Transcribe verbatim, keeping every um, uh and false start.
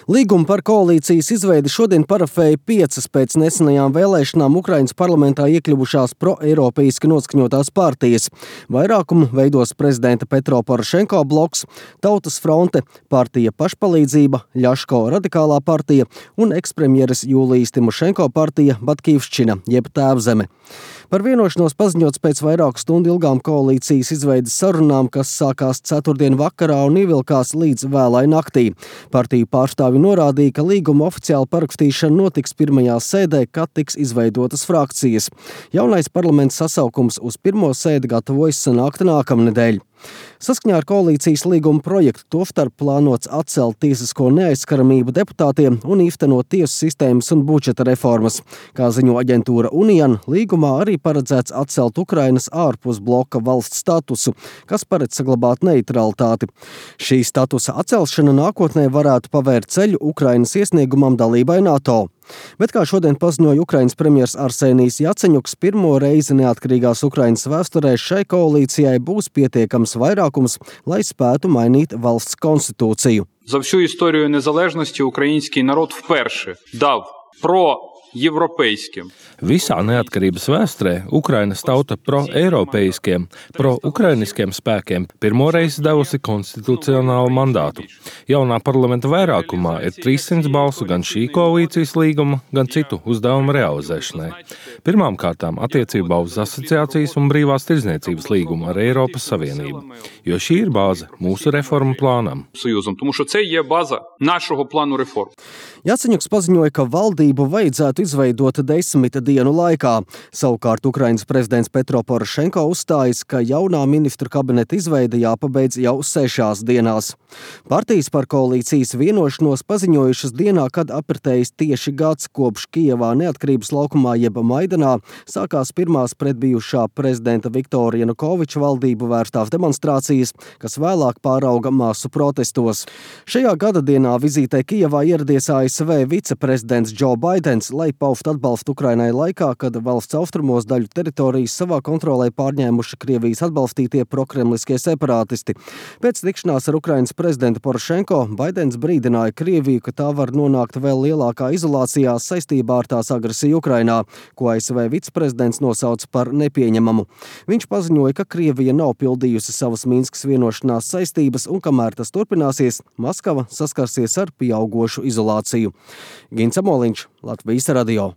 Līgumu par koalīcijas izveidi šodien parafēja piecas pēc nesenajām vēlēšanām Ukrainas parlamentā iekļuvušās pro-eiropeiski noskaņotās partijas. Vairākumu veidos prezidenta Petro Porošenko bloks, Tautas fronte, partija Pašpalīdzība, Ļaško radikālā partija un ekspremjeres Jūlijas Timošenko partija Batkivščina, jeb Tēvzeme. Par vienošanos paziņots pēc vairāku stundu ilgām koalīcijas izveides sarunām, kas sākās ceturtdien vakarā un ievilkās līdz vēlai naktī. Partiju pārstāvi norādīja, ka līguma oficiāla parakstīšana notiks pirmajā sēdē, kad tiks izveidotas frakcijas. Jaunais parlaments sasaukums uz pirmo sēdi gatavojas sanākt nākamnedēļ. Saskaņā ar koalīcijas līguma projektu tostarp plānots atcelt tiesisko neaizskaramību deputātiem un īstenot tiesu sistēmas un budžeta reformas. Kā ziņo aģentūra Unian, līgumā arī paredzēts atcelt Ukrainas ārpus bloka valsts statusu, kas paredz saglabāt neitralitāti. Šī statusa atcelšana nākotnē varētu pavērt ceļu Ukrainas iesniegumam dalībai NATO. Bet, kā šodien paziņoja Ukrainas premjers Arsenijs Jaceņuks, pirmo reizi neatkarīgās Ukrainas vēsturē šai koalīcijai būs pietiekams vairākums, lai spētu mainīt valsts konstitūciju. За всю історію незалежності український народ вперше дав pro-європейським. Visā neatkarības vēsturē Ukrainas tauta pro-eiropeiskiem, pro-ukrainiskiem spēkiem pirmoreiz devusi konstitucionālu mandātu. Jaunā parlamenta vairākumā ir trīssimts balsu gan šī koalīcijas līguma, gan citu uzdevumu realizēšanai. Pirmām kārtām attiecībā uz asociācijas un brīvās tirdzniecības līgumu ar Eiropas Savienību, jo šī ir bāze mūsu reformu plānam. Союзом, тому що це є база нашого плану реформ. Jaceņuks paziņoja, ka valdību vajadzētu izveidot desmit dienu laikā. Savukārt Ukrainas prezidents Petro Porošenko uzstājas, ka jaunā ministru kabineta izveide jāpabeidz jau sešās dienās. Partijas par koalīcijas vienošanos paziņojušas dienā, kad apritējis tieši gads kopš Kijevā neatkarības laukumā jeb Maidanā sākās pirmās pret bijušā prezidenta Viktora Janukoviča valdību vērstās demonstrācijas, kas vēlāk pārauga masu protestos. Šajā gada dienā vizītē Kijevā ieradies A S V viceprezidents Joe Baidens, lai paustu atbalstu Ukrainai laikā, kad valsts austrumos daļu teritorijas savā kontrolē pārņēmuši Krievijas atbalstītie prokremliskie separātisti. Pēc tikšanās ar Ukrainas prezidentu Porošenko Baidens brīdināja Krieviju, ka tā var nonākt vēl lielākā izolācijā saistībā ar tās agresiju Ukrainā, ko A S V viceprezidents nosauca par nepieņemamu. Viņš paziņoja, ka Krievija nav pildījusi savas Minskas vienošanās saistības un kamēr tas turpināsies, Maskava saskarsies ar pieaugošu izolāciju. Gins Amoliņš, Latvijas radio.